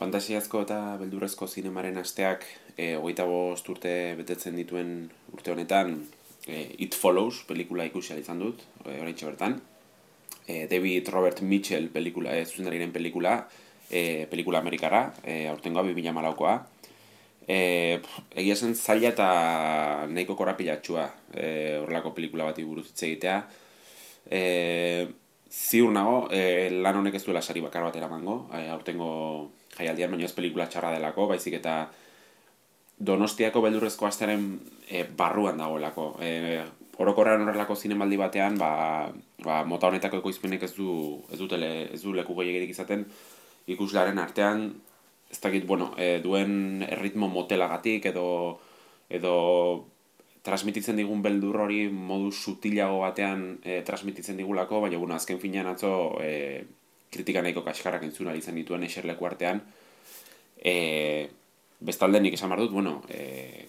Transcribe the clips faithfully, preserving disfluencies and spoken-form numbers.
Fantasiazko eta beldurrezko zinemaren asteak e, hogeita bost urte betetzen dituen urte honetan e, It Follows pelikula ikusi ahal izan dut, e, oraintxe bertan. E, David Robert Mitchell pelikula, e, zuzendariren pelikula, e, pelikula amerikara, e, aurtengoa bi mila hamalaukoa. E, egia zen zaila eta nahiko korapilatxua e, horrelako pelikula bati buruz hitz egitea. E, ziur nago, e, lan honek ez duela sari bakar bat eramango, e, aurtengo jaialdian, baina ez pelikula txarra delako, baizik eta Donostiako beldurrezko astearen e, barruan dagoelako. E, orokorrean horrelako zinemaldi batean, ba, ba, mota honetako ekoizpenek ez du, ez du, tele, ez du leku gehiagirik izaten ikuslearen artean, ez dakit, bueno, e, duen erritmo motelagatik edo edo transmititzen digun beldur hori modu sutilago batean e, transmititzen digulako, baina bueno, azken finean atzo e, kritika nahiko kaskarrak entzun ahal izan dituen eserleku artean. E, bestalde nik esan behar dut, bueno, e,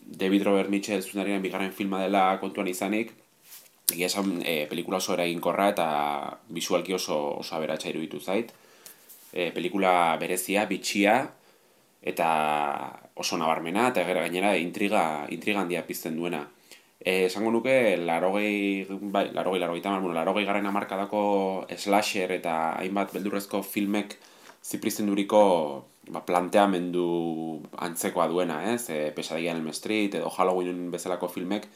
David Robert Mitchell zuzendariaren bigarren filma dela kontuan izanik, egia esan e, pelikula oso eraginkorra eta bisualki oso, oso aberatsa iruditu zait. E, pelikula berezia, bitxia, eta oso nabarmena, eta gainera intriga, intriga handia pizten duena. E, esango nuke, larogei, bai, larogei, larogei tamar, bueno, larogei garren hamarkadako slasher eta hainbat beldurrezko filmek ziprizten duriko ba, planteamendu antzekoa duena, ez? E, Pesadilla en Elm Street edo Halloween bezalako filmek,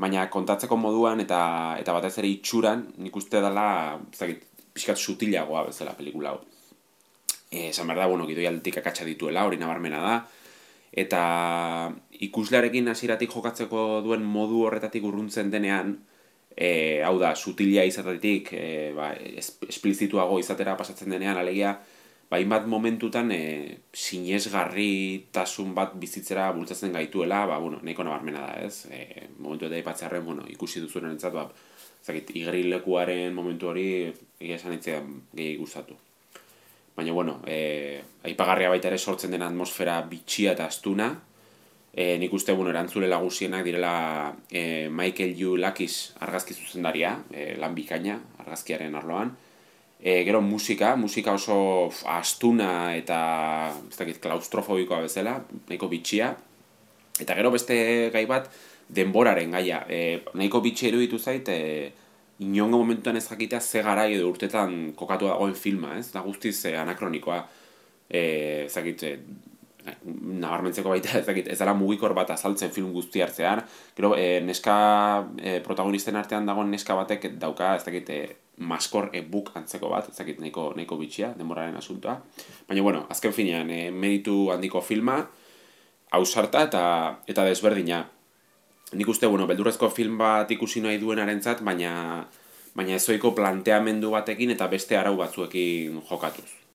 baina kontatzeko moduan eta eta batez ere itxuran, nik uste dela, ezagik, pixkat sutilagoa bezala pelikula hau. E, esan behar da, bueno, gidoi aldetik akatsa dituela, hori nabarmena da, eta ikuslearekin hasieratik jokatzeko duen modu horretatik urruntzen denean, e, hau da, sutilia izatetik, e, ba, esplizituago izatera pasatzen denean, alegia, ba, hainbat momentutan e, sinesgarritasun bat bizitzera bultzatzen gaituela, ba, bueno, nahiko nabarmena da, ez? E, momentu eta ipatzearen, bueno, ikusi duzuen entzat, ba, zakit, igerilekuaren momentu hori, egia esan itzean gehiagik gustatu. Baina, bueno, e, aipagarria baita ere sortzen den atmosfera bitxia eta astuna. E, nik uste, bueno, erantzule lagusienak direla e, Michael Yu Lakis argazki zuzendaria, e, lan bikaina, argazkiaren arloan. E, gero musika, musika oso f, astuna eta ez dakit, klaustrofobikoa bezala, nahiko bitxia. Eta gero beste gai bat, denboraren gaia. E, nahiko bitxia iruditu zait, e, inongo momentuan ez jakitea ze garai edo urtetan kokatu dagoen filma, ez? Da guztiz eh, anakronikoa. Eh, ezagit, eh, nabarmentzeko baita, ezagit, ez dela mugikor bat azaltzen film guzti hartzean. Gero, eh, neska eh, protagonisten artean dagoen neska batek dauka, ezagit, eh, maskor e-book antzeko bat, ezagit, nahiko, nahiko bitxia, denboraren asuntoa. Baina, bueno, azken finean, eh, meditu handiko filma, ausarta eta, eta desberdina. Nik uste, bueno, beldurrezko film bat ikusi nahi duenarentzat, baina baina ezoiko planteamendu batekin eta beste arau batzuekin jokatuz.